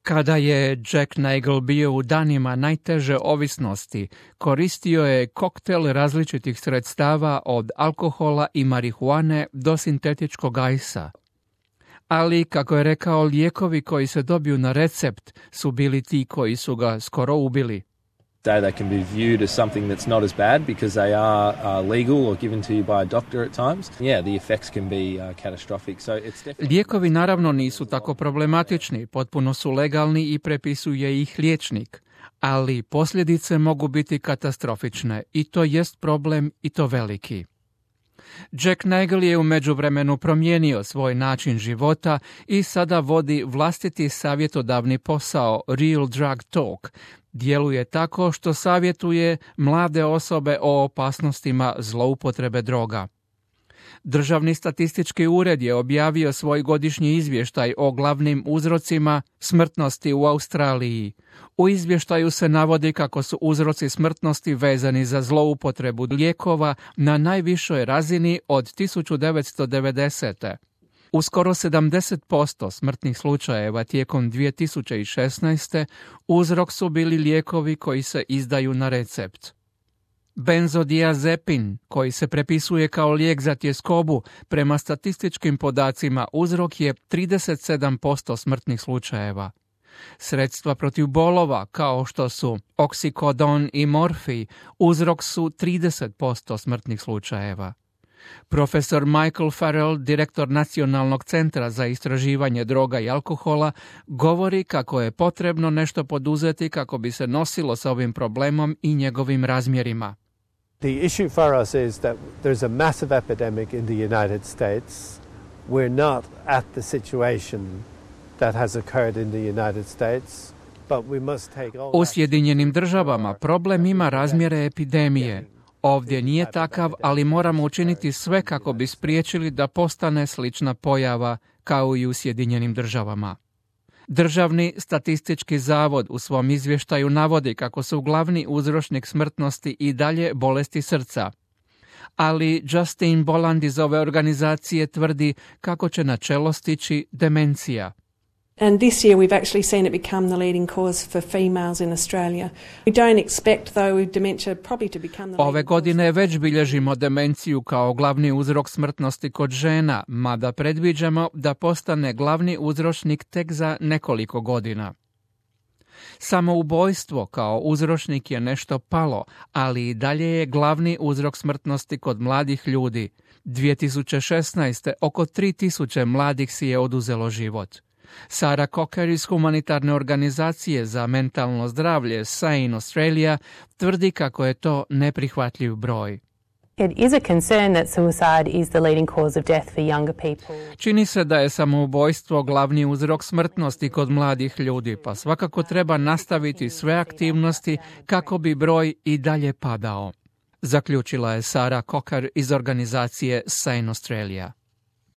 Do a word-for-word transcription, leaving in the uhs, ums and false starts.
Kada je Jack Nagle bio u danima najteže ovisnosti, koristio je koktel različitih sredstava od alkohola i marihuane do sintetičkog ajsa. Ali, kako je rekao, lijekovi koji se dobiju na recept su bili ti koji su ga skoro ubili. They can be viewed as something that's not as bad because they are uh, legal or given to you by a doctor at times. Yeah, the effects can be uh, catastrophic. So it's definitely... Lijekovi naravno nisu tako problematični, potpuno su legalni i prepisuje ih liječnik, ali posljedice mogu biti katastrofične i to jest problem i to veliki. Jack Nagle je u međuvremenu promijenio svoj način života i sada vodi vlastiti savjetodavni posao Real Drug Talk. Djeluje tako što savjetuje mlade osobe o opasnostima zloupotrebe droga. Državni statistički ured je objavio svoj godišnji izvještaj o glavnim uzrocima smrtnosti u Australiji. U izvještaju se navodi kako su uzroci smrtnosti vezani za zloupotrebu lijekova na najvišoj razini od tisuću devetsto devedesete. U skoro sedamdeset posto smrtnih slučajeva tijekom dvije tisuće šesnaeste. uzrok su bili lijekovi koji se izdaju na recept. Benzodiazepin, koji se prepisuje kao lijek za tjeskobu, prema statističkim podacima uzrok je trideset sedam posto smrtnih slučajeva. Sredstva protiv bolova, kao što su oksikodon i morfij, uzrok su trideset posto smrtnih slučajeva. Profesor Michael Farrell, direktor Nacionalnog centra za istraživanje droga i alkohola, govori kako je potrebno nešto poduzeti kako bi se nosilo sa ovim problemom i njegovim razmjerima. The issue for us is that there's a massive epidemic in the United States. We're not at the situation that has occurred in the United States, but we must take all... U Sjedinjenim državama problem ima razmjere epidemije. Ovdje nije takav, ali moramo učiniti sve kako bi spriječili da postane slična pojava kao i u Sjedinjenim državama. Državni statistički zavod u svom izvještaju navodi kako su glavni uzročnik smrtnosti i dalje bolesti srca. Ali Justin Boland iz ove organizacije tvrdi kako će na čelo stići demencija. And this year we've actually seen it become the leading cause for females in Australia. We don't expect though dementia probably to become the Ove godine već bilježimo demenciju kao glavni uzrok smrtnosti kod žena, mada predviđamo da postane glavni uzročnik tek za nekoliko godina. Samoubojstvo kao uzročnik je nešto palo, ali i dalje je glavni uzrok smrtnosti kod mladih ljudi. dvije tisuće šesnaeste. oko tri tisuće mladih si je oduzelo život. Sarah Cocker iz humanitarne organizacije za mentalno zdravlje Sane Australia tvrdi kako je to neprihvatljiv broj. It is a concern that suicide is the leading cause of death for younger people. Čini se da je samoubojstvo glavni uzrok smrtnosti kod mladih ljudi, pa svakako treba nastaviti sve aktivnosti kako bi broj i dalje padao, zaključila je Sarah Cocker iz organizacije Sane Australia.